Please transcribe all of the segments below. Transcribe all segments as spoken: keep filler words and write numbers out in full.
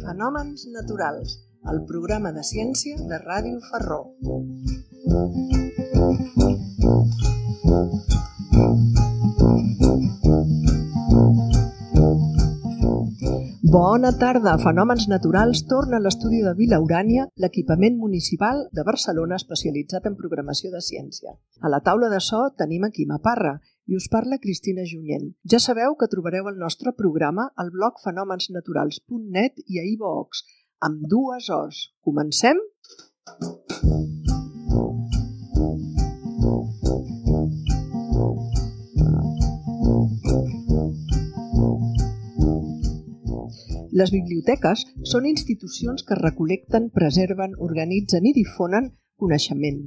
Fenòmens naturals, el programa de ciència de Ràdio Ferró. Bona tarda, Fenòmens Naturals torna a l'estudi de Vila Urània, l'equipament municipal de Barcelona especialitzat en programació de ciència. A la taula de so tenim a Quima Parra i us parla Cristina Junyent. Ja sabeu que trobareu el nostre programa al blog fenòmens naturals punt net i a iVoox, amb dues O's. Comencem? Les biblioteques són institucions que recol·lecten, preserven, organitzen i difonen coneixement.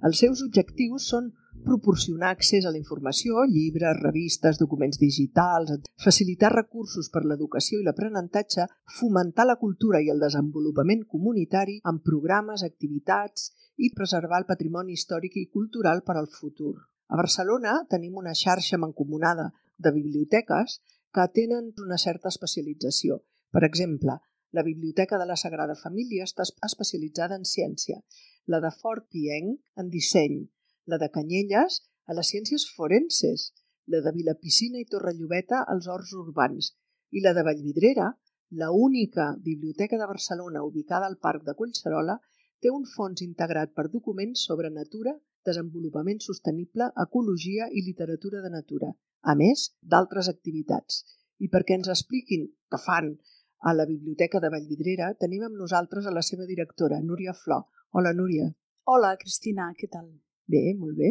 Els seus objectius són proporcionar accés a la informació, llibres, revistes, documents digitals, facilitar recursos per l'educació i l'aprenentatge, fomentar la cultura i el desenvolupament comunitari amb programes, activitats i preservar el patrimoni històric i cultural per al futur. A Barcelona tenim una xarxa mancomunada de biblioteques que tenen una certa especialització. Per exemple, la Biblioteca de la Sagrada Família està especialitzada en ciència, la de Fort Pienc en disseny, la de Canyelles a les ciències forenses, la de Vilapicina i Torrelluveta als horts urbans i la de Vallvidrera, la única biblioteca de Barcelona ubicada al Parc de Collserola, té un fons integrat per documents sobre natura, desenvolupament sostenible, ecologia i literatura de natura, a més d'altres activitats. I perquè ens expliquin què fan a la Biblioteca de Vallvidrera, tenim amb nosaltres a la seva directora, Núria Flor. Hola, Núria. Hola, Cristina, què tal? Bé, molt bé.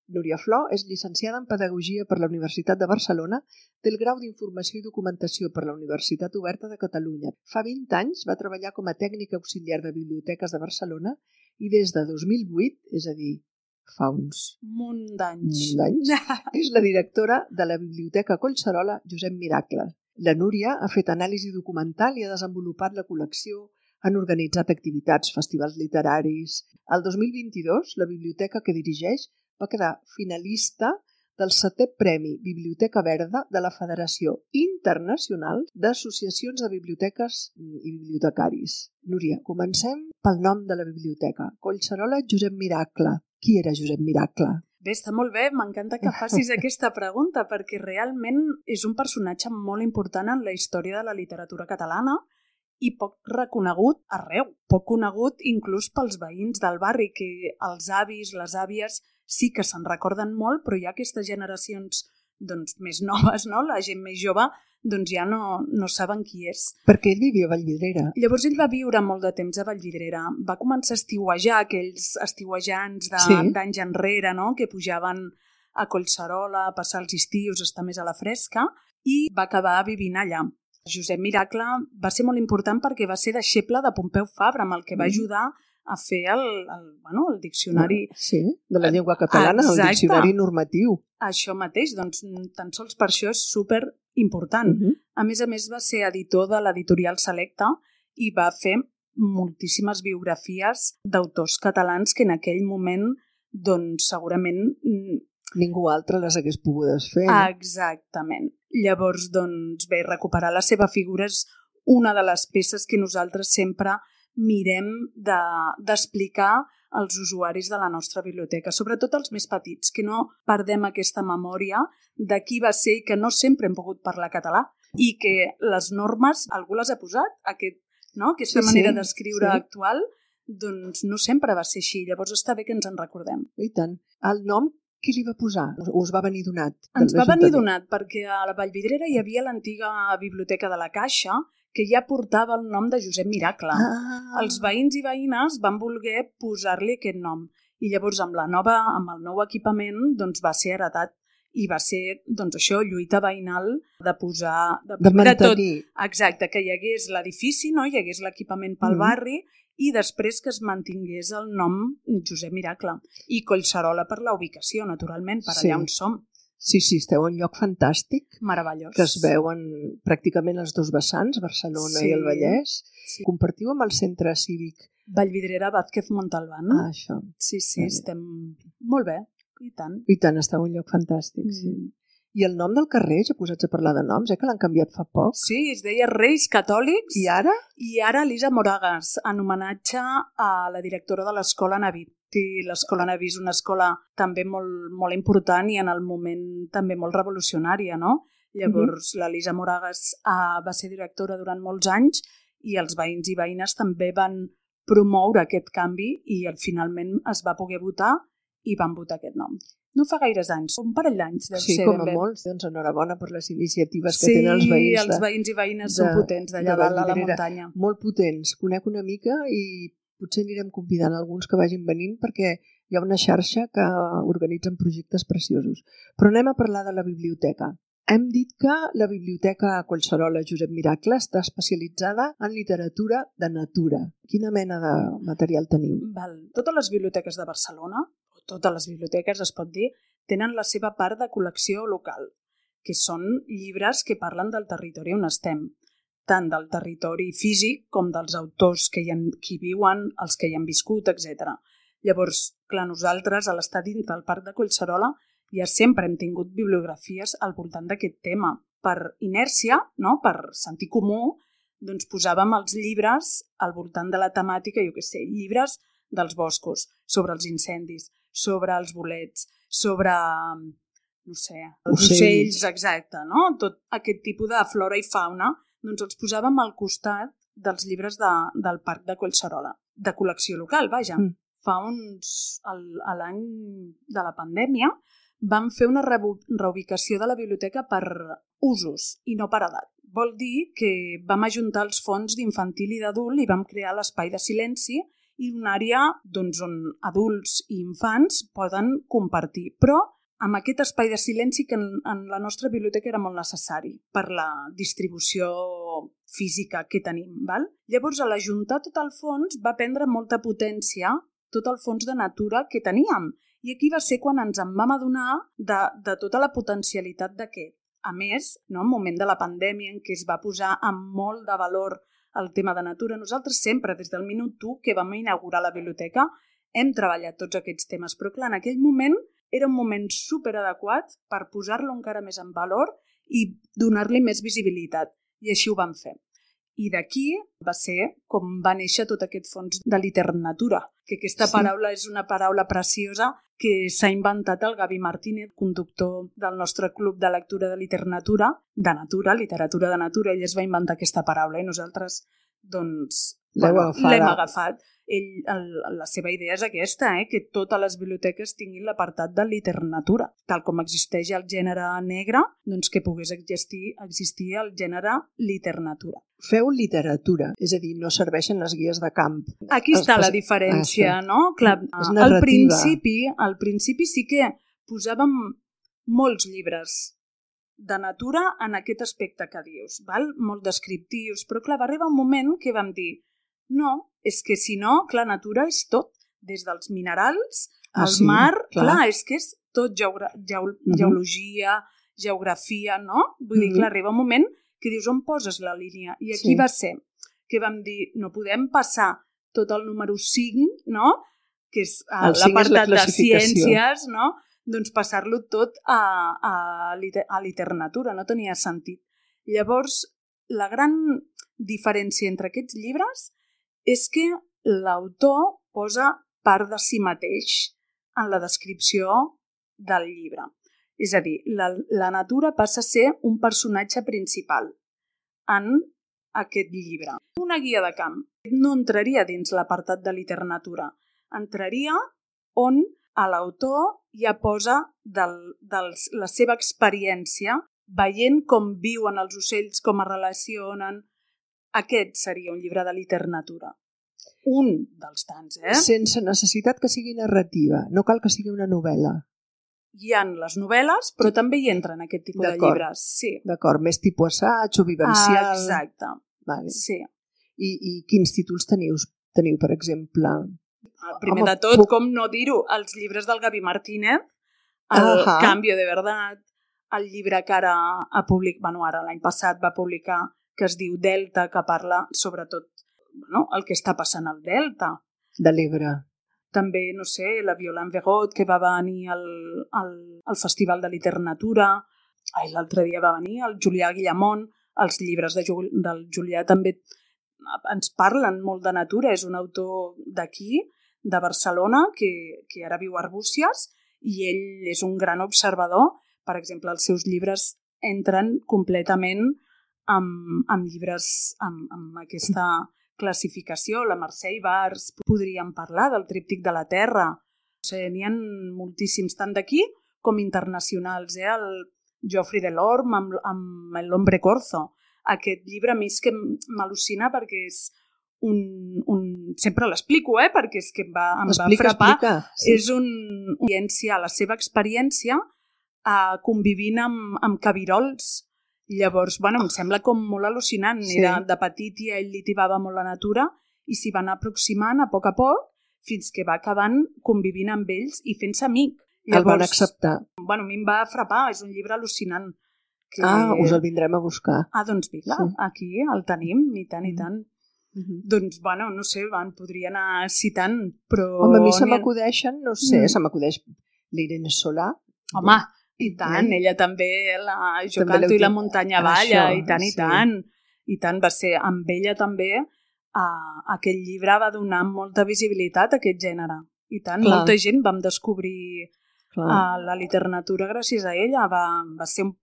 Núria Flor és llicenciada en Pedagogia per la Universitat de Barcelona, té el grau d'Informació i Documentació per la Universitat Oberta de Catalunya. Fa vint anys va treballar com a tècnica auxiliar de biblioteques de Barcelona i des de dos mil vuit, és a dir, fa uns... munt d'anys. munt d'anys, és la directora de la Biblioteca Collserola Josep Miracle. La Núria ha fet anàlisi documental i ha desenvolupat la col·lecció, han organitzat activitats, festivals literaris. El dos mil vint-i-dos, la biblioteca que dirigeix va quedar finalista del setè Premi Biblioteca Verda de la Federació Internacional d'Associacions de Biblioteques i Bibliotecaris. Núria, comencem pel nom de la biblioteca. Collserola Josep Miracle. Qui era Josep Miracle? Bé, està molt bé, m'encanta que facis aquesta pregunta perquè realment és un personatge molt important en la història de la literatura catalana i poc reconegut arreu, poc conegut inclús pels veïns del barri, que els avis, les àvies sí que se'n recorden molt, però hi ha aquestes generacions doncs, més noves, no? La gent més jove, doncs ja no, no saben qui és. Perquè ell vivia a Vallvidrera. Llavors ell va viure molt de temps a Vallvidrera. Va començar a estiuejar, aquells estiuejants de, sí. d'anys enrere, no? Que pujaven a Collserola a passar els estius, estar més a la fresca, i va acabar vivint allà. Josep Miracle va ser molt important perquè va ser deixeble de Pompeu Fabra, amb el que va ajudar a fer el, el, bueno, el diccionari... Sí, de la llengua catalana, exacte. El diccionari normatiu. Això mateix, doncs tan sols per això és super important. Uh-huh. A més a més va ser editor de l'editorial Selecta i va fer moltíssimes biografies d'autors catalans que en aquell moment doncs segurament... ningú altre les hagués pogudes fer. Exactament. Llavors, doncs bé, recuperar la seva figura és una de les peces que nosaltres sempre mirem de, d'explicar als usuaris de la nostra biblioteca, sobretot els més petits, que no perdem aquesta memòria de qui va ser i que no sempre hem pogut parlar català i que les normes, algú les ha posat, aquest, no? aquesta sí, manera sí, d'escriure sí. actual, doncs no sempre va ser així, llavors està bé que ens en recordem. I tant. El nom, qui li va posar? O us va venir donat? Ens va venir donat perquè a la Vallvidrera hi havia l'antiga biblioteca de la Caixa que ja portava el nom de Josep Miracle. Ah. Els veïns i veïnes van voler posar-li aquest nom i llavors amb, la nova, amb el nou equipament doncs, va ser heretat i va ser doncs, això, lluita veïnal de posar... De, de mantenir. De tot. Exacte, que hi hagués l'edifici, no? Hi hagués l'equipament pel mm. barri i després que es mantingués el nom Josep Miracle. I Collserola per la ubicació, naturalment, per allà sí. on som. Sí, sí, esteu en un lloc fantàstic. Meravellós. Que es veuen pràcticament els dos vessants, Barcelona sí. i el Vallès. Sí. Compartiu amb el centre cívic. Vallvidrera Vázquez Montalbán. Ah, això. Sí, sí, estem molt bé. i tant. I tant, està un lloc fantàstic, mm. sí. I el nom del carrer, ja posats a parlar de noms, eh, que l'han canviat fa poc. Sí, es deia Reis Catòlics. I ara? I ara Elisa Moragas, en homenatge a la directora de l'escola Naví. Sí, l'escola Naví és una escola també molt, molt important i en el moment també molt revolucionària, no? Llavors, uh-huh. l'Elisa Moragas uh, va ser directora durant molts anys i els veïns i veïnes també van promoure aquest canvi i finalment es va poder votar i van votar aquest nom. No fa gaires anys, un parell d'anys. Sí, com a molts. Doncs enhorabona per les iniciatives que sí, tenen els veïns. Sí, els veïns i veïnes de, són potents d'allà dalt a la muntanya. Molt potents. Conec una mica i potser anirem convidant alguns que vagin venint perquè hi ha una xarxa que organitzen projectes preciosos. Però anem a parlar de la biblioteca. Hem dit que la biblioteca Collserola Josep Miracle està especialitzada en literatura de natura. Quina mena de material teniu? Val. Totes les biblioteques de Barcelona, o totes les biblioteques es pot dir, tenen la seva part de col·lecció local, que són llibres que parlen del territori on estem, tant del territori físic com dels autors que hi, ha, que hi viuen, els que hi han viscut, etcètera. Llavors, clar, nosaltres a l'estat dins del Parc de Collserola ja sempre hem tingut bibliografies al voltant d'aquest tema. Per inèrcia, no? Per sentir comú, doncs posàvem els llibres al voltant de la temàtica, jo què sé, llibres dels boscos, sobre els incendis, sobre els bolets, sobre, no sé, els ocells, ocells exacte, no? Tot aquest tipus de flora i fauna, doncs els posàvem al costat dels llibres de, del Parc de Collserola, de col·lecció local, vaja. Mm. Fa uns, a l'any de la pandèmia, vam fer una reubicació de la biblioteca per usos i no per edat. Vol dir que vam ajuntar els fons d'infantil i d'adult i vam crear l'espai de silenci i una àrea doncs, on adults i infants poden compartir. Però amb aquest espai de silenci que en, en la nostra biblioteca era molt necessari per la distribució física que tenim. Val? Llavors, a l'ajuntar tot el fons va prendre molta potència tot el fons de natura que teníem. I aquí va ser quan ens en vam adonar de, de tota la potencialitat d'aquest. A més, no, en un moment de la pandèmia en què es va posar amb molt de valor el tema de natura, nosaltres sempre, des del minut u que vam inaugurar la biblioteca, hem treballat tots aquests temes. Però clar, en aquell moment era un moment superadequat per posar-lo encara més en valor i donar-li més visibilitat. I així ho vam fer. I d'aquí va ser com va néixer tot aquest fons de literatura, que aquesta sí. paraula és una paraula preciosa que s'ha inventat el Gavi Martínez, conductor del nostre club de lectura de literatura, de natura, literatura de natura. Ell es va inventar aquesta paraula i nosaltres doncs, bueno, l'hem agafat. Ell, el, la seva idea és aquesta, eh? Que totes les biblioteques tinguin l'apartat de literatura. Tal com existeix el gènere negre, doncs que pogués existir, existir el gènere literatura. Feu literatura, és a dir, no serveixen les guies de camp. Aquí està la diferència, ah, no? Clar, al principi, al principi sí que posàvem molts llibres de natura en aquest aspecte que dius, val? Molt descriptius, però clar, va arribar un moment que vam dir no, és que si no, clar, natura és tot, des dels minerals, ah, al sí, mar, clar. clar, és que és tot geogra- geol- uh-huh. geologia, geografia, no? Vull uh-huh. dir, clar, arriba un moment que dius on poses la línia? I aquí sí. va ser que vam dir, no podem passar tot el número cinc, no? Que és l'apartat de ciències, no? Doncs passar-lo tot a, a, a literatura, no tenia sentit. Llavors, la gran diferència entre aquests llibres és que l'autor posa part de si mateix en la descripció del llibre. És a dir, la, la natura passa a ser un personatge principal en aquest llibre. Una guia de camp no entraria dins l'apartat de literatura, entraria on l'autor ja posa del, del, la seva experiència veient com viuen els ocells, com es relacionen. Aquest seria un llibre de literatura. Un dels tants, eh? Sense necessitat que sigui narrativa. No cal que sigui una novel·la. Hi ha les novel·les, però també hi entren aquest tipus de llibres. Sí. D'acord, més tipus assaig o vivencial. Ah, exacte. Vale. Sí. I, I quins títols teniu, teniu per exemple? El primer Home, de tot, puc... com no dir-ho, els llibres del Gavi Martínez, el uh-huh. Cambio de Verdad, el llibre que ara ha publicat, bueno, ara l'any passat va publicar, que es diu Delta, que parla sobretot bueno, el que està passant al Delta. De l'Ebre. també, no sé, la Violaine Vegot, que va venir al, al, al Festival de Literatura, ai, l'altre dia va venir el Julià Guillamont, els llibres de, del Julià també ens parlen molt de natura, és un autor d'aquí, de Barcelona, que, que ara viu a Arbúcies, i ell és un gran observador. Per exemple, els seus llibres entren completament amb, amb llibres amb, amb aquesta classificació. La Mercè Ibars, podríem parlar del Tríptic de la Terra. O sigui, n'hi ha moltíssims, tant d'aquí com internacionals. Eh? El Geoffrey Delorme amb, amb l'Hombre Corzo. Aquest llibre a mi és que m'al·lucina perquè és un... un... Sempre l'explico, eh? Perquè és que em va, em explica, va frapar. Explica, sí. És un, un... la seva experiència uh, convivint amb, amb cabirols. Llavors, bueno, em sembla com molt al·lucinant. Sí. Era de petit i ell li tibava molt la natura i s'hi van aproximant a poc a poc fins que va acabant convivint amb ells i fent-se amic. Llavors, el van acceptar. Bueno, a mi em va frapar, és un llibre al·lucinant. Que... Ah, us el vindrem a buscar. Ah, doncs vinga, sí. Aquí el tenim, i tant, i tant. Mm-hmm. Doncs, bueno, no sé, van, podria anar citant, però... Home, a mi se m'acudeixen, no sé, mm. se m'acudeix l'Irene Solà. Home, i tant, eh? Ella també, la Jo també canto i la muntanya balla, això, i tant, i sí. tant. I tant, va ser, amb ella també, uh, aquest llibre va donar molta visibilitat a aquest gènere. I tant, clar. Molta gent vam descobrir uh, la literatura gràcies a ella, va, va ser un,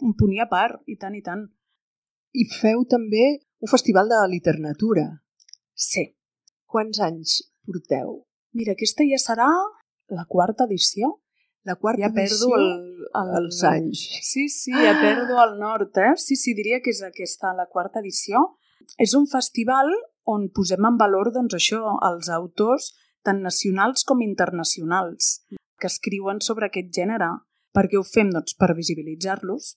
un punt i a part, i tant, i tant. I feu també un festival de literatura. Sí. Quants anys porteu? Mira, aquesta ja serà la quarta edició. La quarta ja edició? perdo el, el, els anys. Sí, sí, ja ah. perdo el nord, eh? Sí, sí, diria que és aquesta, la quarta edició. És un festival on posem en valor, doncs, això, els autors tant nacionals com internacionals que escriuen sobre aquest gènere. Per què ho fem? Doncs per visibilitzar-los,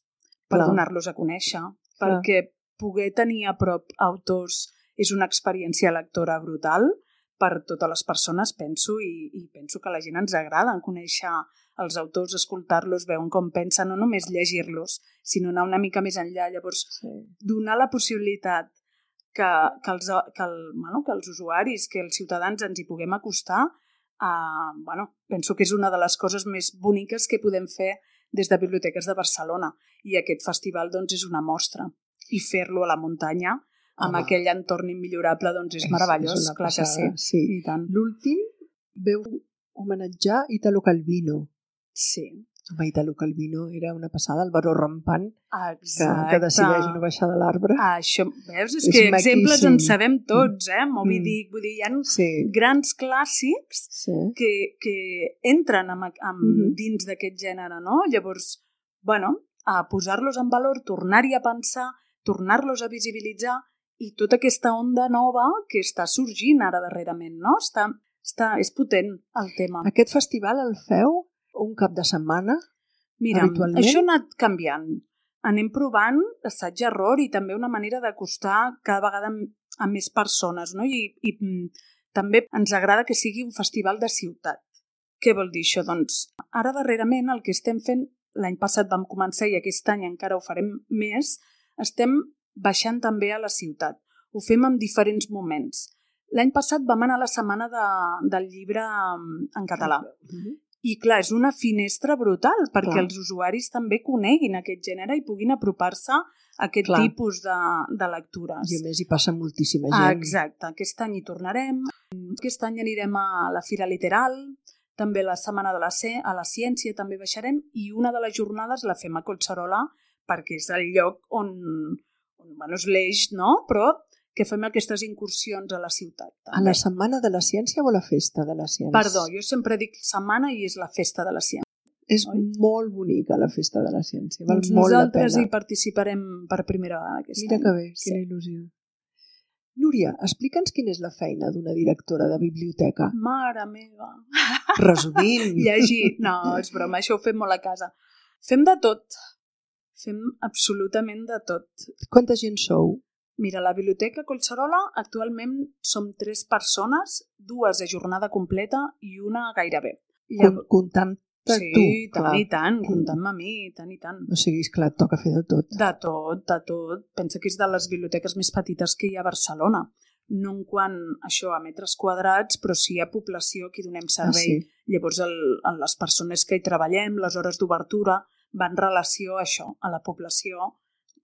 per Clar. donar-los a conèixer, Clar. perquè poder tenir a prop autors és una experiència lectora brutal per totes les persones, penso, i, i penso que a la gent ens agrada conèixer els autors, escoltar-los, veure com pensen, no només llegir-los, sinó anar una mica més enllà. Llavors, sí. donar la possibilitat que, que, els, que, el, bueno, que els usuaris, que els ciutadans ens hi puguem acostar, eh, bueno, penso que és una de les coses més boniques que podem fer des de Biblioteques de Barcelona. I aquest festival, doncs, és una mostra. I fer-lo a la muntanya, amb Home. aquell entorn immillorable, doncs és meravellós, és clar que sí. sí. I tant. L'últim veu homenatjar Italo Calvino. Sí. Home, Italo Calvino era una passada, el baró rampant, que, que decideix no baixar de l'arbre. Ah, això, veus? És, és que maquíssim. Exemples en sabem tots, eh? Moby mm. Dick, vull dir, hi ha sí. grans clàssics sí. que, que entren amb, amb, mm-hmm. dins d'aquest gènere, no? Llavors, bueno, a posar-los en valor, tornar-hi a pensar, tornar-los a visibilitzar i tota aquesta onda nova que està sorgint ara darrerament, no? Està, està, és potent el tema. Aquest festival el feu un cap de setmana? Mira, habitualment? Això ha anat canviant. Anem provant assaig-error i també una manera d'acostar cada vegada a més persones, no? I, i també ens agrada que sigui un festival de ciutat. Què vol dir això? Doncs ara darrerament el que estem fent, l'any passat vam començar i aquest any encara ho farem més, estem baixant també a la ciutat. Ho fem en diferents moments. L'any passat vam anar a la setmana de, del llibre en català. Mm-hmm. I clar, és una finestra brutal perquè clar. els usuaris també coneguin aquest gènere i puguin apropar-se a aquest clar. tipus de, de lectures. I a més hi passa moltíssima gent. Ah, exacte. Aquest any hi tornarem. Aquest any anirem a la Fira Literal, també la Setmana de la, C, a la Ciència també baixarem i una de les jornades la fem a Collserola perquè és el lloc on, on bueno, és l'eix, no? Però que fem aquestes incursions a la ciutat. També. A la Setmana de la Ciència o a la Festa de la Ciència? Perdó, jo sempre dic setmana i és la Festa de la Ciència. És Oi? molt bonica la Festa de la Ciència. Val doncs molt nosaltres la pena. hi participarem per primera vegada aquest Mira any. que bé, quina sí. il·lusió. Núria, explica'ns quina és la feina d'una directora de biblioteca. Mare meva! Resumint. Llegir. No, és broma, això ho fem molt a casa. Fem de tot. Fem absolutament de tot. Quanta gent sou? Mira, a la Biblioteca Collserola actualment som tres persones, dues a jornada completa i una gairebé. Llavors... Comptant sí, tu, tant clar. i tant, comptant-me a mi, tant i tant. O sigui, esclar, toca fer de tot. De tot, de tot. Pensa que és de les biblioteques més petites que hi ha a Barcelona. no en quant això a metres quadrats, però sí a població que donem servei. Ah, sí. Llavors, el, el, les persones que hi treballem, les hores d'obertura, van en relació a això, a la població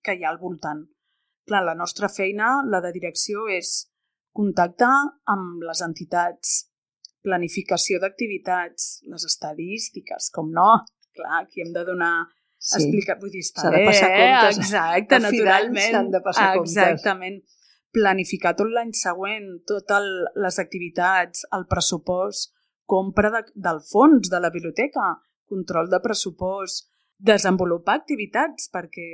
que hi ha al voltant. Clar, la nostra feina, la de direcció, és contacte amb les entitats, planificació d'activitats, les estadístiques, com no, clar, aquí hem de donar... Sí. Explicar, vull dir, està s'ha de bé, passar comptes. Exacte, Al final naturalment. s'han de passar comptes. Exactament. Planificar tot l'any següent, totes les activitats, el pressupost, compra de, del fons de la biblioteca, control de pressupost, desenvolupar activitats, perquè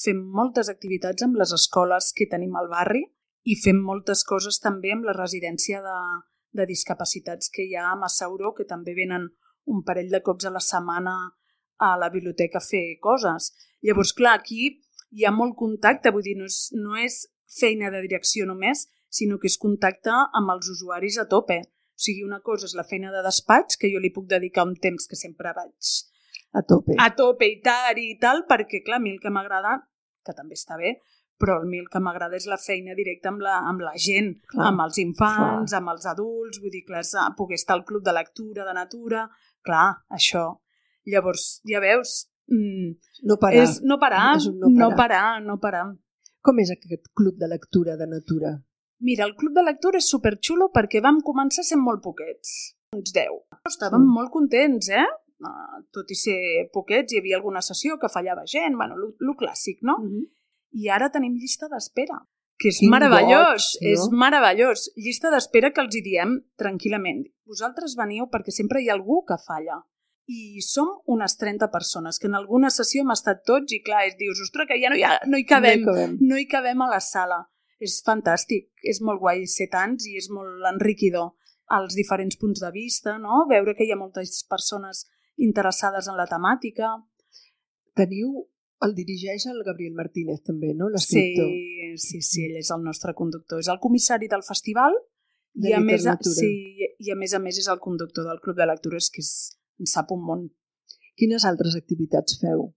fem moltes activitats amb les escoles que tenim al barri i fem moltes coses també amb la residència de, de discapacitats que hi ha a Massauró, que també venen un parell de cops a la setmana a la biblioteca a fer coses. Llavors, clar, aquí hi ha molt contacte, vull dir, no és, no és feina de direcció només, sinó que és contacte amb els usuaris a tope. O sigui, una cosa és la feina de despatx, que jo li puc dedicar un temps que sempre vaig a tope, a tope i tal, i tal, perquè, clar, a mi el que m'agrada, que també està bé, però a mi el que m'agrada és la feina directa amb la, amb la gent, clar, amb els infants, clar, amb els adults, vull dir, clar, poder estar al club de lectura, de natura, clar, això. Llavors, ja veus, mm, no parar, és no parar, és un no parar, no parar, no parar. Com és aquest club de lectura de natura? Mira, el club de lectura és superxulo perquè vam començar sent molt poquets, uns deu. Estàvem Sí. molt contents, eh? Uh, tot i ser poquets, hi havia alguna sessió que fallava gent, bueno, lo, lo clàssic, no? Mm-hmm. I ara tenim llista d'espera, que és Quin meravellós, goig, no? és meravellós. Llista d'espera que els hi diem tranquil·lament. Vosaltres veniu perquè sempre hi ha algú que falla. I som unes trenta persones, que en alguna sessió hem estat tots i clar, es dius, ostres, que ja no hi, ha, no hi cabem, no hi cabem, no hi cabem a la sala. És fantàstic, és molt guai ser tants i és molt enriquidor als diferents punts de vista, no? Veure que hi ha moltes persones interessades en la temàtica. Teniu, el dirigeix el Gabriel Martínez també, no? L'escriptor. Sí, sí, sí, ell és el nostre conductor, és el comissari del festival de i a, més a, literatura. sí, i a més a més és el conductor del Club de Lectures, que és, en sap un món. Quines altres activitats feu?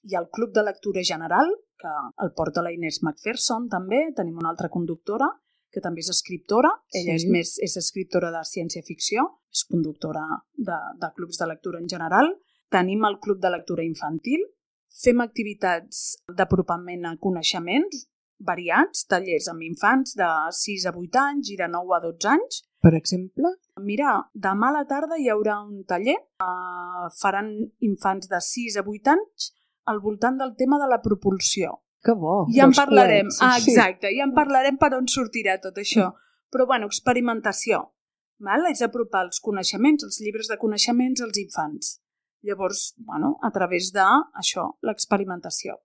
Hi ha el Club de Lectura General, que el porta la Inés McPherson també, tenim una altra conductora, que també és escriptora, ella Sí. és més és escriptora de ciència-ficció, és conductora de, de clubs de lectura en general. Tenim el Club de Lectura Infantil, fem activitats d'apropament a coneixements variats, tallers amb infants de sis a vuit anys i de nou a dotze anys. Per exemple? Mira, demà a la tarda hi haurà un taller, uh, faran infants de sis a vuit anys al voltant del tema de la propulsió. Que bo, ja en dels parlarem, coets, ah, sí. exacte, ja en parlarem per on sortirà tot això. Però, bueno, experimentació. Val? És apropar els coneixements, els llibres de coneixements als infants. Llavors, bueno, a través de això, l'experimentació.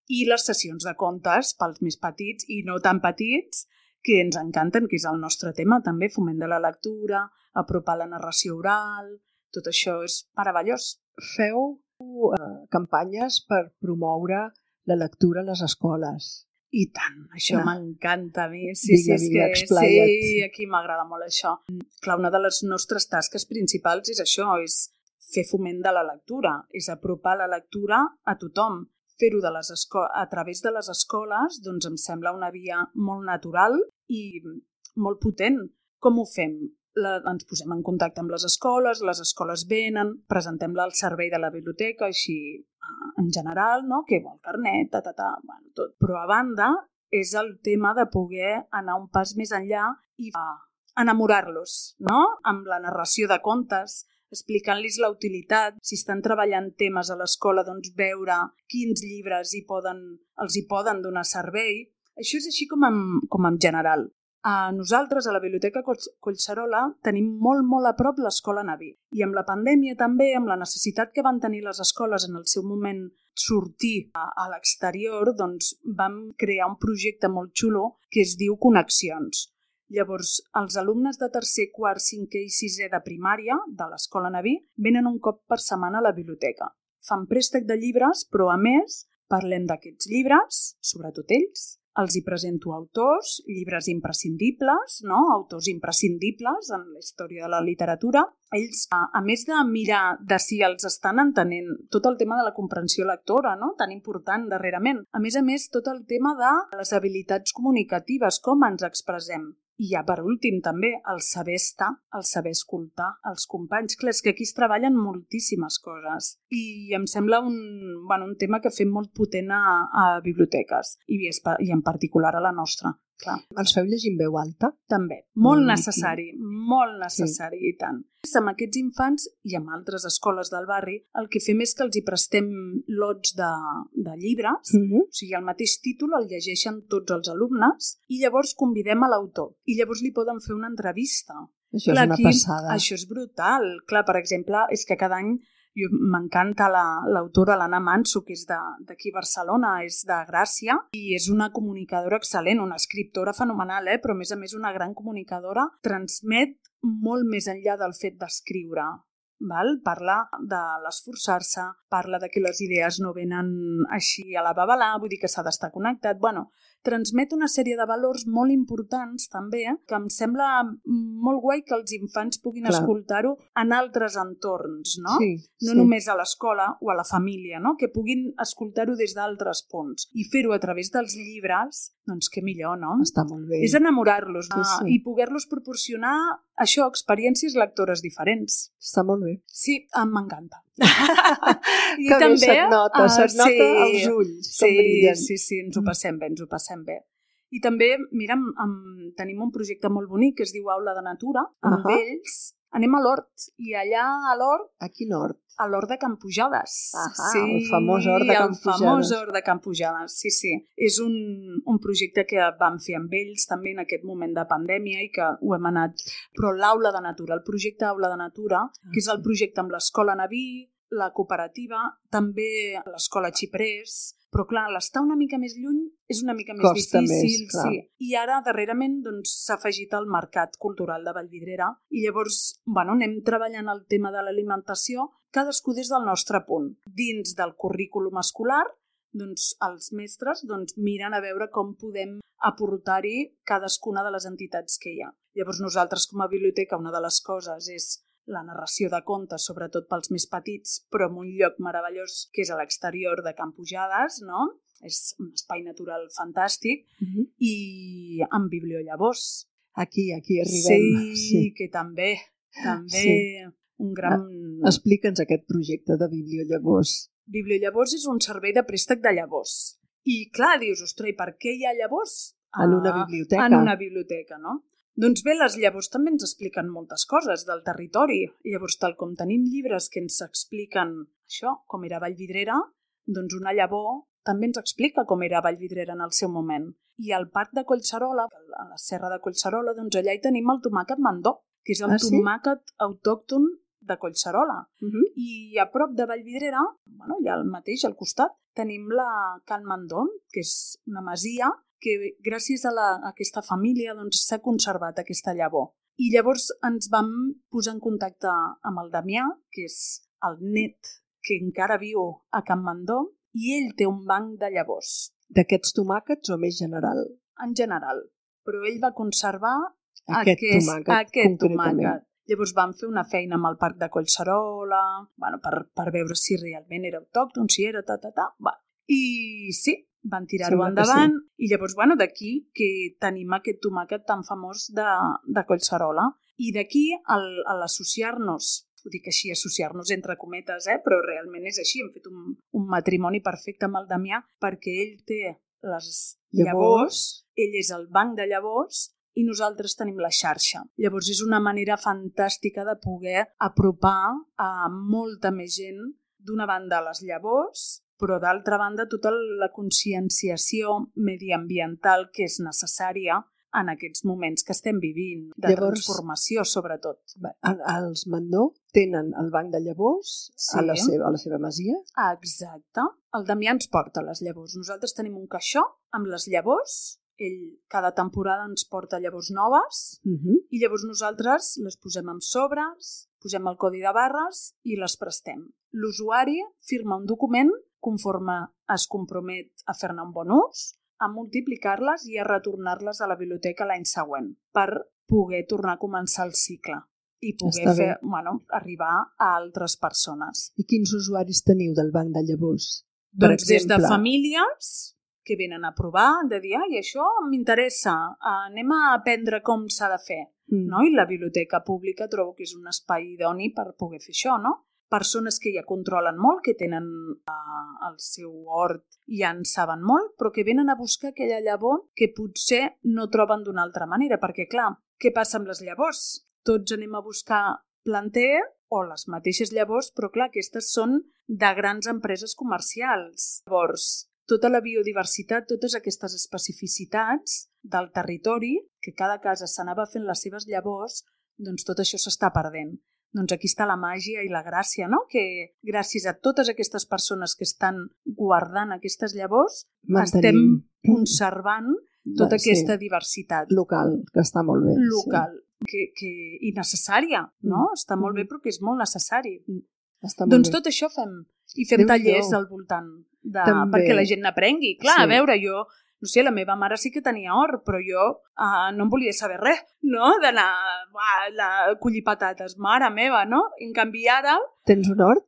I les sessions de contes pels més petits i no tan petits, que ens encanten, que és el nostre tema també, foment de la lectura, apropar la narració oral, tot això és meravellós. Feu uh, campanyes per promoure la lectura a les escoles. I tant, això ah. m'encanta a mi. Sí, vinga, sí, vinga, és que, explaya't. sí, aquí m'agrada molt això. Clar, una de les nostres tasques principals és això, és fer foment de la lectura, és apropar la lectura a tothom. Fer-ho de les esco- a través de les escoles, doncs em sembla una via molt natural i molt potent. Com ho fem? La, ens posem en contacte amb les escoles, les escoles venen, presentem-la al servei de la biblioteca, així en general, no? Que vol carnet, ta, ta, ta, bueno, tot. Però a banda és el tema de poder anar un pas més enllà i enamorar-los, no? Amb la narració de contes, explicant-los la utilitat, si estan treballant temes a l'escola, doncs veure quins llibres hi poden, els hi poden donar servei. Això és així com en, com en general. A nosaltres, a la Biblioteca Collserola, tenim molt, molt a prop l'Escola Naví. I amb la pandèmia també, amb la necessitat que van tenir les escoles en el seu moment sortir a, a l'exterior, doncs vam crear un projecte molt xulo que es diu Connexions. Llavors, els alumnes de tercer, quart, cinquè i sisè de primària de l'Escola Naví venen un cop per setmana a la biblioteca. Fan préstec de llibres, però a més parlem d'aquests llibres, sobretot ells. Els hi presento autors, llibres imprescindibles, no? Autors imprescindibles en la història de la literatura. Ells, a, a més de mirar de si els estan entenent tot el tema de la comprensió lectora, no? Tan important darrerament. A més a més, tot el tema de les habilitats comunicatives, com ens expressem. I ja per últim també, el saber estar, el saber escoltar els companys. Clar, és que aquí es treballen moltíssimes coses i em sembla un, bueno, un tema que fem molt potent a, a biblioteques i, i en particular a la nostra. Clar. Els feu llegir en veu alta? També, molt mm, necessari, molt necessari sí. I tant. Amb aquests infants i amb altres escoles del barri, el que fem és que els hi prestem lots de, de llibres, mm-hmm. O sigui, el mateix títol el llegeixen tots els alumnes i llavors convidem a l'autor i llavors li poden fer una entrevista. Això Clar, és una aquí, passada. Això és brutal. Clar, per exemple, és que cada any m'encanta l'autora l'Anna Manso, que és d'aquí a Barcelona, és de Gràcia, i és una comunicadora excel·lent, una escriptora fenomenal, eh? Però a més a més una gran comunicadora, transmet molt més enllà del fet d'escriure. Val? Parla de l'esforçar-se, parla de que les idees no venen així a la babalà, vull dir que s'ha d'estar connectat. Bueno, transmet una sèrie de valors molt importants també, eh? Que em sembla molt guai que els infants puguin Clar. Escoltar-ho en altres entorns, no? Sí, no sí. Només a l'escola o a la família, no? Que puguin escoltar-ho des d'altres punts i fer-ho a través dels llibres, doncs què millor, no? Està molt bé. És enamorar-los sí, sí. I poder-los proporcionar això, experiències lectores diferents. Està molt bé. Sí, m'encanta. I que també, bé, se't nota, uh, se't nota sí, els ulls, sí, com brillen. Sí, sí, ens ho passem bé, ens ho passem bé. I també, mira, amb, amb, tenim un projecte molt bonic que es diu Aula de Natura, amb uh -huh. ells anem a l'hort, i allà a l'hort... A quin hort? A l'hort de Can Pujades. Ahà, sí, el famós hort de Can Pujades. El famós hort de Can Pujades, sí, sí. És un, un projecte que vam fer amb ells també en aquest moment de pandèmia i que ho hem anat... Però l'Aula de Natura, el projecte Aula de Natura, que és el projecte amb l'Escola Naví, la cooperativa, també l'Escola Xiprés, però clar, l'estar una mica més lluny és una mica més Costa difícil. Més, clar. Sí. I ara, darrerament, doncs, s'ha afegit el Mercat Cultural de Vallvidrera i llavors, bueno, anem treballant el tema de l'alimentació, cadascú des del nostre punt. Dins del currículum escolar, doncs, els mestres doncs, miren a veure com podem aportar-hi cadascuna de les entitats que hi ha. Llavors, nosaltres, com a biblioteca, una de les coses és la narració de contes, sobretot pels més petits, però en un lloc meravellós que és a l'exterior de Can Pujades, no? És un espai natural fantàstic, uh-huh. I amb bibliollavors. Aquí, aquí arribem. Sí, sí. Que també, també sí. Un gran... Explica'ns aquest projecte de bibliollavors. Bibliollavors és un servei de préstec de llavors. I clar, dius, ostres, i per què hi ha llavors? En una biblioteca. En una biblioteca, no? Doncs bé, les llavors també ens expliquen moltes coses del territori. Llavors, tal com tenim llibres que ens expliquen això, com era Vallvidrera, doncs una llavor també ens explica com era Vallvidrera en el seu moment. I al Parc de Collserola, a la Serra de Collserola, doncs allà hi tenim el tomàquet mandó, que és el ah, sí? tomàquet autòcton de Collserola. Uh-huh. I a prop de Vallvidrera, bueno, allà al mateix, al costat, tenim la Can Mandó, que és una masia que gràcies a, la, a aquesta família doncs, s'ha conservat aquesta llavor. I llavors ens vam posar en contacte amb el Damià, que és el net que encara viu a Can Mandó, i ell té un banc de llavors. D'aquests tomàquets o més general? En general, però ell va conservar aquest, aquest tomàquet. Aquest tomàquet. Llavors vam fer una feina amb el Parc de Collserola, bueno, per, per veure si realment era autòcton, si era ta, ta, ta. Va. I sí, van tirar-ho endavant sí. I llavors, bueno, d'aquí que tenim aquest tomàquet tan famós de, de Collserola. I d'aquí, a l'associar-nos, ho dic així, associar-nos entre cometes, eh? Però realment és així, hem fet un, un matrimoni perfecte amb el Damià perquè ell té les llavors, llavors, ell és el banc de llavors i nosaltres tenim la xarxa. Llavors és una manera fantàstica de poder apropar a molta més gent, d'una banda les llavors, però d'altra banda tota la conscienciació mediambiental que és necessària en aquests moments que estem vivint, de Llavors, transformació sobretot. Els Mandó tenen el banc de llavors sí. a, la seva, a la seva masia? Exacte. El Damià ens porta les llavors. Nosaltres tenim un caixó amb les llavors. Ell cada temporada ens porta llavors noves uh-huh. i llavors nosaltres les posem en sobres, posem el codi de barres i les prestem. L'usuari firma un document conforme es compromet a fer-ne un bon ús, a multiplicar-les i a retornar-les a la biblioteca l'any següent per poder tornar a començar el cicle i poder fer, bueno, arribar a altres persones. I quins usuaris teniu del banc de llavors? Doncs des de famílies que venen a provar, de dir, ai, això m'interessa, anem a aprendre com s'ha de fer. Mm. No? I la biblioteca pública trobo que és un espai idoni per poder fer això, no? Persones que ja controlen molt, que tenen uh, el seu hort i ja en saben molt, però que venen a buscar aquella llavor que potser no troben d'una altra manera, perquè clar, què passa amb les llavors? Tots anem a buscar planter o les mateixes llavors, però clar, aquestes són de grans empreses comercials. Llavors, tota la biodiversitat, totes aquestes especificitats del territori, que cada casa s'anava fent les seves llavors, doncs tot això s'està perdent. Doncs aquí està la màgia i la gràcia, no? Que gràcies a totes aquestes persones que estan guardant aquestes llavors, Mantenim. estem conservant tota sí. aquesta diversitat. Local, que està molt bé. Local, sí. que, que, i necessària, no? Mm. Està molt bé però que és molt necessari. Està molt doncs bé. Tot això fem. I fem Déu tallers Déu. al voltant, de, perquè la gent n'aprengui. Clar, sí. a veure, jo... No sé, la meva mare sí que tenia hort, però jo uh, no em volia saber res, no? D'anar a collir patates, mare meva, no? En canvi ara... Tens un hort?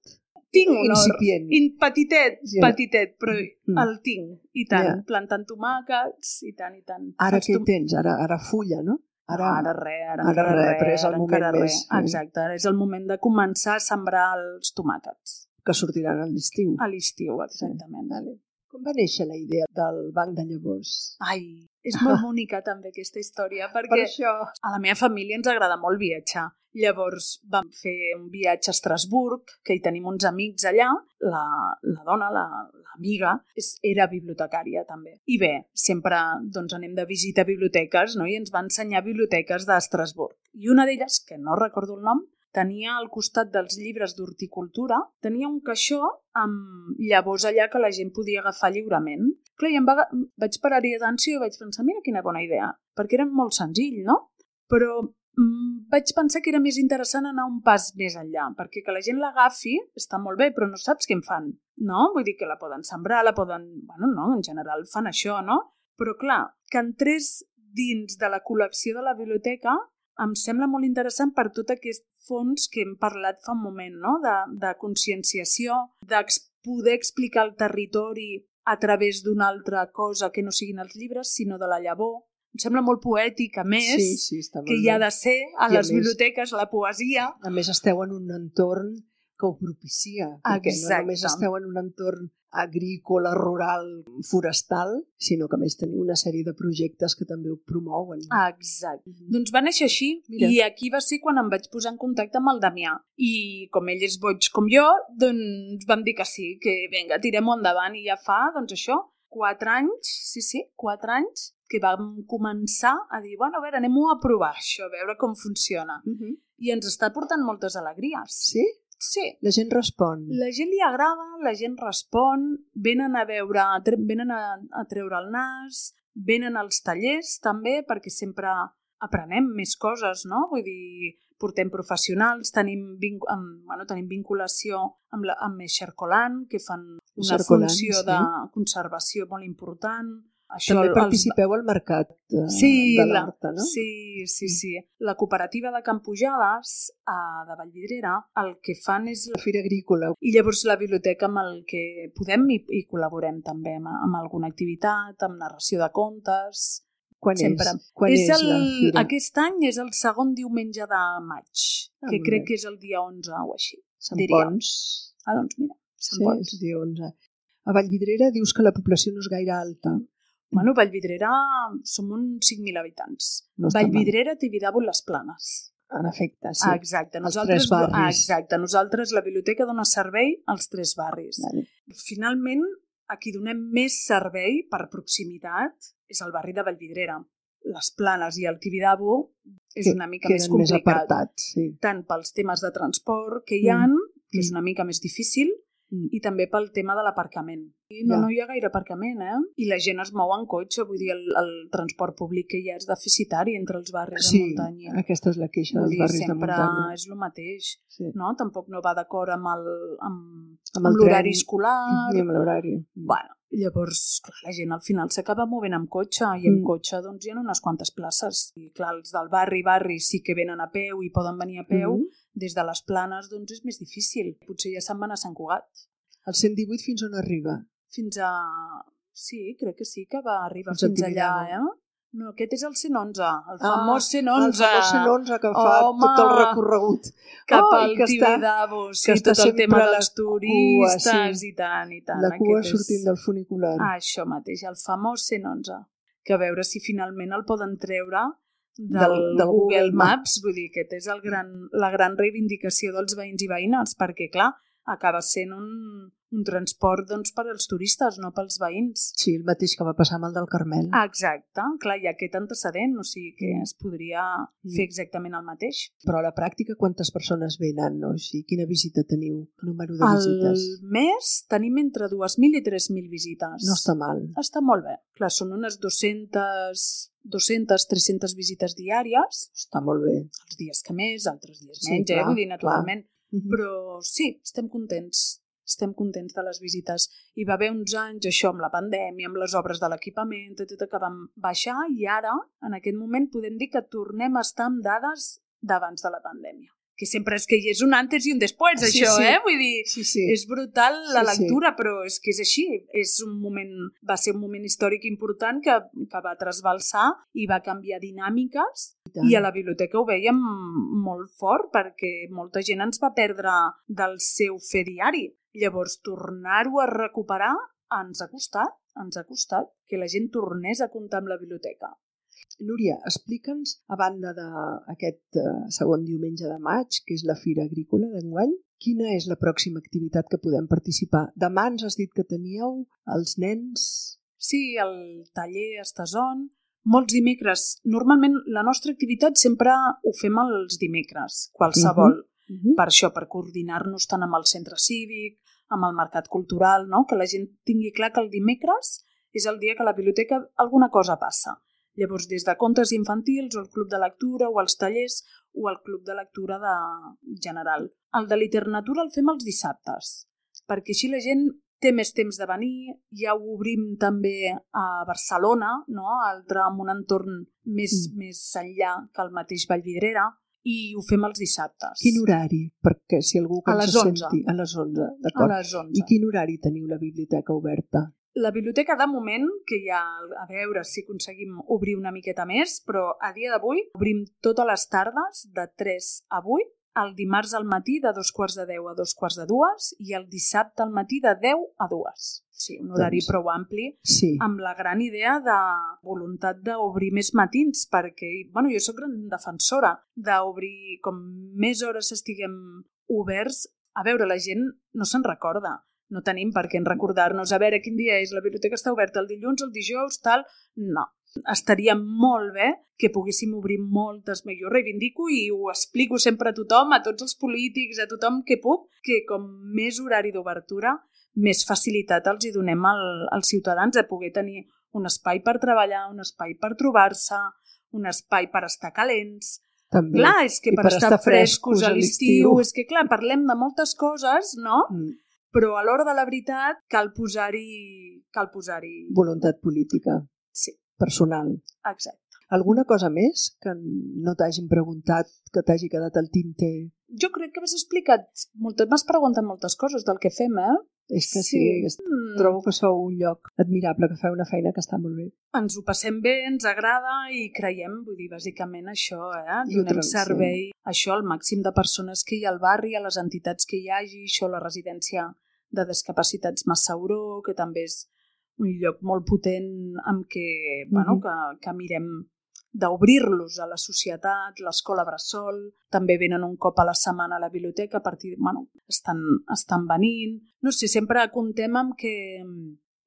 Tinc un Incipient. hort. In, petitet, yeah. petitet, però mm. el tinc. I tant, yeah. plantant tomàquets, i tant, i tant. Ara què tom... tens? Ara, ara fulla, no? Ara, ara res, ara, ara res, res, però és el moment més... Eh? Exacte, ara és el moment de començar a sembrar els tomàquets. Que sortiran a l'estiu. A l'estiu, exactament. Sí. Vale. Com va néixer la idea del banc de llavors? Ai, és molt bonica també aquesta història, perquè per això. A la meva família ens agrada molt viatjar. Llavors vam fer un viatge a Estrasburg, que hi tenim uns amics allà, la, la dona, l'amiga, la, era bibliotecària també. I bé, sempre doncs, anem de visita a biblioteques, no? I ens va ensenyar biblioteques d'Estrasburg. I una d'elles, que no recordo el nom, tenia al costat dels llibres d'horticultura, tenia un caixó amb llavors allà que la gent podia agafar lliurement. Clar, i em va, vaig parar-hi d'atenció i vaig pensar, mira quina bona idea, perquè era molt senzill, no? Però mm, vaig pensar que era més interessant anar un pas més enllà, perquè que la gent l'agafi està molt bé, però no saps què en fan, no? Vull dir que la poden sembrar, la poden... Bueno, no, en general fan això, no? Però clar, que entrés dins de la col·lecció de la biblioteca em sembla molt interessant per tot aquest fons que hem parlat fa un moment, no? De, de conscienciació, de poder explicar el territori a través d'una altra cosa que no siguin els llibres, sinó de la llavor. Em sembla molt poètic, a més, sí, sí, està molt que hi ha de ser a I les a biblioteques més, la poesia. A més, esteu en un entorn que ho propicia, perquè Exacte. no només esteu en un entorn agrícola, rural, forestal, sinó que a més teniu una sèrie de projectes que també ho promouen. Exacte. Mm-hmm. Doncs va néixer així. Mira. I aquí va ser quan em vaig posar en contacte amb el Damià. I com ell és boig com jo, doncs vam dir que sí, que vinga, tirem-ho endavant. I ja fa, doncs això, quatre anys, sí, sí, quatre anys, que vam començar a dir, bueno, a veure, anem-ho a provar això, a veure com funciona. Mm-hmm. I ens està portant moltes alegries. Sí? Sí. La gent respon. La gent li agrada, la gent respon, venen a veure, venen a, a treure el nas, venen als tallers també, perquè sempre aprenem més coses, no? Vull dir, portem professionals, tenim, vinc, amb, bueno, tenim vinculació amb, la, amb Xercolan, que fan una Xercolan, funció sí. de conservació molt important. Això, també participeu els... al mercat de, sí, de l'Horta, no? Sí, sí, sí. La cooperativa de Can Pujades, a, de Vallvidrera, el que fan és... La Fira Agrícola. I llavors la biblioteca amb el que podem i, i col·laborem també amb, amb alguna activitat, amb narració de contes... Quan sempre. és? Quan és, és el, la fira? Aquest any és el segon diumenge de maig, ah, que crec bé. que és el dia onze o així. Sant Pons. Ah, doncs mira, Sant sí, Pons. És dia onze. A Vallvidrera dius que la població no és gaire alta. Bueno, Vallvidrera som uns cinc mil habitants. No Vallvidrera, Tibidabo i les Planes. En efecte, sí. Ah, exacte. Els tres barris. Ah, exacte. Nosaltres, la biblioteca dona servei als tres barris. Vale. Finalment, a qui donem més servei per proximitat és el barri de Vallvidrera. Les Planes i el Tibidabo és una mica més complicat. Més apartats, sí. Tant pels temes de transport que hi ha, mm. que és una mica més difícil, Mm. i també pel tema de l'aparcament. I no, ja. no hi ha gaire aparcament, eh? I la gent es mou en cotxe, vull dir, el, el transport públic que hi ha és deficitari entre els barris sí, de muntanya. Sí, aquesta és la queixa dels barris de muntanya. Sempre és el mateix, sí. no? Tampoc no va d'acord amb el amb, amb, amb l'horari escolar. I amb l'horari. Bueno, llavors, clar, la gent al final s'acaba movent amb cotxe i amb mm. cotxe doncs hi ha unes quantes places. I clar, els del barri, barri sí que venen a peu i poden venir a peu, mm. des de les Planes doncs és més difícil. Potser ja se'n van a Sant Cugat. El cent divuit fins on arriba? Fins a... Sí, crec que sí que va arribar Fins fins allà, Tibidabo. eh? No, aquest és el cent onze, el famós Ah, cent el onze. famós cent onze que fa Home, tot el recorregut. Cap Oh, i al que està- Tibidabo, sí, que està tot el tema sempre la dels cua, turistes sí. i tant, i tant. La cua Aquest sortint és... del funicular. Ah, això mateix, el famós cent onze. Que a veure si finalment el poden treure del, Del- del Google, Google Maps. Vull dir, aquest és el gran, la gran reivindicació dels veïns i veïnes, perquè, clar, acaba sent un, un transport doncs, per als turistes, no pels veïns. Sí, el mateix que va passar amb el del Carmel. Exacte, clar, hi ha aquest antecedent, o sigui que es podria fer exactament el mateix. Però a la pràctica quantes persones venen? No? O sigui, quina visita teniu? Número de Al visites? mes tenim entre dues mil i tres mil visites. No està mal. Està molt bé. Clar, són unes dues-centes, dues-centes, tres-centes visites diàries, Està molt bé. els dies que més, altres dies Sí, menys, clar, eh? Vull dir, naturalment. Uh -huh. Però sí, estem contents. Estem contents de les visites. Hi va haver uns anys, això, amb la pandèmia, amb les obres de l'equipament, tot, tot, que vam baixar i ara, en aquest moment, podem dir que tornem a estar amb dades d'abans de la pandèmia. Que sempre és que hi és un antes i un després, Sí, això, sí. eh? Vull dir, Sí, sí. és brutal la Sí, sí. lectura, però és que és així. És un moment, va ser un moment històric important que, que va trasbalsar i va canviar dinàmiques. I a la biblioteca ho veiem molt fort perquè molta gent ens va perdre del seu fer diari. Llavors, tornar-ho a recuperar ens ha costat, ens ha costat que la gent tornés a comptar amb la biblioteca. Núria, explica'ns, a banda d'aquest uh, segon diumenge de maig, que és la Fira Agrícola d'enguany, quina és la pròxima activitat que podem participar? Demà ens has dit que teníeu els nens... Sí, el taller Estason. Molts dimecres. Normalment la nostra activitat sempre ho fem els dimecres, qualsevol. Uh -huh. Uh -huh. Per això, per coordinar-nos tant amb el centre cívic, amb el mercat cultural, no? Que la gent tingui clar que el dimecres és el dia que a la biblioteca alguna cosa passa. Llavors, des de contes infantils, o el club de lectura, o els tallers, o el club de lectura de general. El de literatura el fem els dissabtes, perquè així la gent té més temps de venir, ja ho obrim també a Barcelona, no? Altre, amb un entorn més, mm. més enllà que el mateix Vallvidrera, i ho fem els dissabtes. Quin horari? Perquè si algú que A ens les senti... onze. A les onze, A d'acord. les onze. I quin horari teniu la biblioteca oberta? La biblioteca, de moment, que ja a veure si aconseguim obrir una miqueta més, però a dia d'avui obrim totes les tardes de tres a vuit, el dimarts al matí de dos quarts de deu a dos quarts de dues i el dissabte al matí de deu a dues. Sí, un horari Doncs, prou ampli, sí. amb la gran idea de voluntat d'obrir més matins, perquè, bueno, jo sóc gran defensora d'obrir com més hores estiguem oberts. A veure, la gent no se'n recorda. No tenim per què recordar-nos a veure quin dia és, la biblioteca està oberta el dilluns, el dijous, tal... No. Estaria molt bé que poguéssim obrir moltes més. Jo reivindico i ho explico sempre a tothom, a tots els polítics, a tothom que puc, que com més horari d'obertura, més facilitat els hi donem al, als ciutadans a poder tenir un espai per treballar, un espai per trobar-se, un espai per estar calents. També. Clar, és que I per, per estar, estar frescos a l'estiu, l'estiu. és que clar, parlem de moltes coses, no? Mm. Però a l'hora de la veritat cal posar-hi... cal posar-hi... Voluntat política. Sí. Personal. Exacte. Alguna cosa més que no t'hagin preguntat, que t'hagi quedat al tinter? Jo crec que m'has explicat, m'has preguntat moltes coses del que fem, eh? És que sí, sí. Mm. Trobo que sou un lloc admirable, que feu una feina que està molt bé. Ens ho passem bé, ens agrada i creiem, vull dir, bàsicament això, eh? I ho Donem trans- servei, això al màxim de persones que hi ha al barri, a les entitats que hi hagi, això la residència de discapacitats Massauró, que també és un lloc molt potent amb què, mm-hmm. bueno, que, que mirem d'obrir-los a la societat, l'escola Bressol, també venen un cop a la setmana a la biblioteca, a partir, bueno, estan, estan venint. No sé, sempre comptem amb que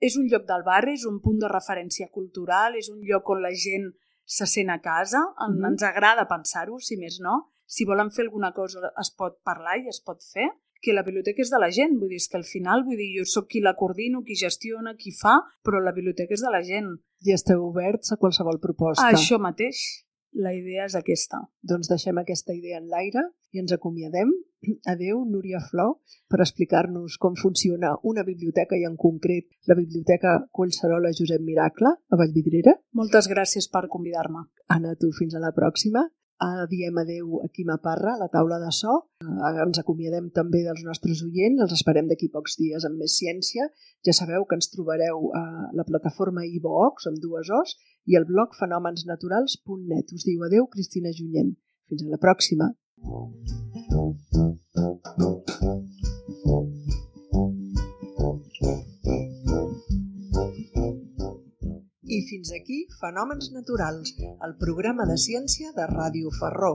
és un lloc del barri, és un punt de referència cultural, és un lloc on la gent se sent a casa, mm-hmm. ens agrada pensar-ho, si més no. Si volen fer alguna cosa es pot parlar i es pot fer, que la biblioteca és de la gent, vull dir, és que al final, vull dir, jo sóc qui la coordino, qui gestiona, qui fa, però la biblioteca és de la gent. I esteu oberts a qualsevol proposta. Això mateix, la idea és aquesta. Doncs deixem aquesta idea en l'aire i ens acomiadem. Adéu, Núria Flor, per explicar-nos com funciona una biblioteca i en concret la Biblioteca Collserola Josep Miracle a Vallvidrera. Moltes gràcies per convidar-me. Anna, tu, fins a la pròxima. diem adeu a Quima Parra, a la taula de so. Ens acomiadem també dels nostres oients, els esperem d'aquí pocs dies amb més ciència. Ja sabeu que ens trobareu a la plataforma iVox, amb dues O's, i el blog fenomensnaturals punt net. Us diu adeu, Cristina Junyent. Fins a la pròxima. I fins aquí Fenòmens Naturals, el programa de ciència de Ràdio Ferró.